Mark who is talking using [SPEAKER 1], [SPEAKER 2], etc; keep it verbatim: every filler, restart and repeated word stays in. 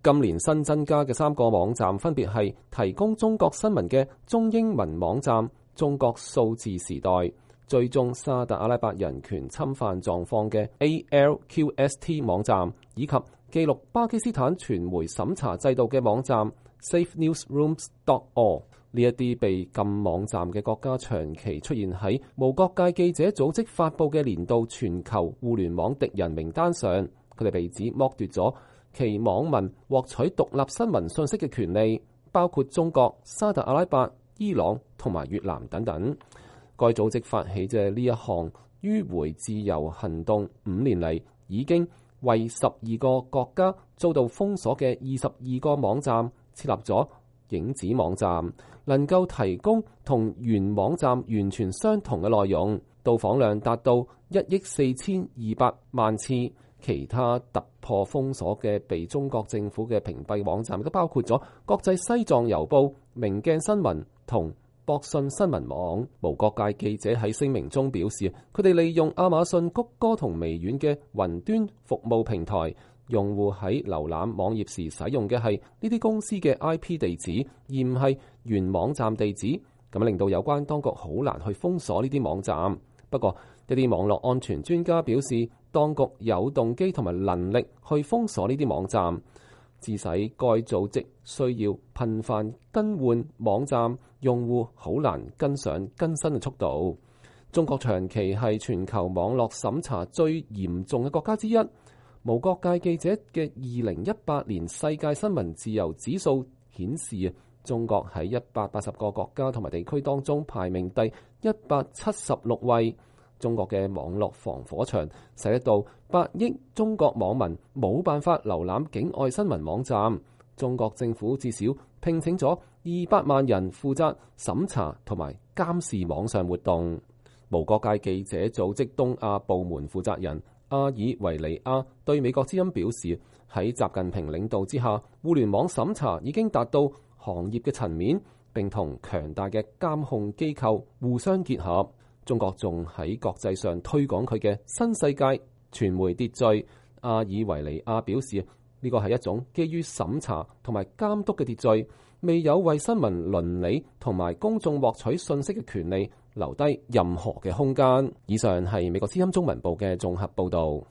[SPEAKER 1] 今年新增加嘅三個網站分別係提供中國新聞嘅中英文網站中國數字時代、追蹤沙特阿拉伯人權侵犯狀況嘅 A L Q S T 網站，以及記錄巴基斯坦傳媒審查制度嘅網站 safe newsrooms dot org。 呢一啲被禁網站嘅國家長期出現喺無國界記者組織發布嘅年度全球互聯網敵人名單上，佢哋被指剝奪咗其網民獲取獨立新聞信息嘅權利，包括中國、沙特阿拉伯、伊朗同埋越南等等。該組織發起嘅呢一項迂迴自由行動，五年嚟已經為十二個國家遭到封鎖嘅二十二個網站設立咗影子網站，能夠提供同原網站完全相同嘅內容，到訪量達到一億四千二百萬次。其他突破封鎖嘅被中國政府嘅屏蔽網站，都包括咗國際西藏郵報、明鏡新聞同博信新聞網。無國界記者喺聲明中表示，佢哋利用亞馬遜、谷歌同微軟嘅雲端服務平台，用戶喺瀏覽網頁時使用嘅係呢啲公司嘅 I P 地址，而唔係原網站地址，咁令到有關當局好難去封鎖呢啲網站。不過，一啲網絡安全專家表示，當局有動機同埋能力去封鎖呢啲網站，致使該組織需要頻繁更換網站，用戶好難跟上更新嘅速度。中國長期係全球網絡審查最嚴重嘅國家之一。無國界記者嘅二零一八年世界新聞自由指數顯示，中國喺一百八十個國家同埋地區當中排名第一百七十六位。中國嘅網絡防火牆使得到八億中國網民冇辦法瀏覽境外新聞網站。中國政府至少聘請咗二百萬人負責審查同埋監視網上活動。無國界記者組織東亞部門負責人阿爾維尼亞對美國之音表示，喺習近平領導之下，互聯網審查已經達到行業嘅層面，並同強大嘅監控機構互相結合。中國仲喺國際上推廣佢嘅新世界傳媒秩序。阿爾維尼亞表示，呢個係一種基於審查同埋監督嘅秩序，未有為新聞倫理同埋公眾獲取信息嘅權利留低任何嘅空間。以上係美國之音中文部嘅綜合報導。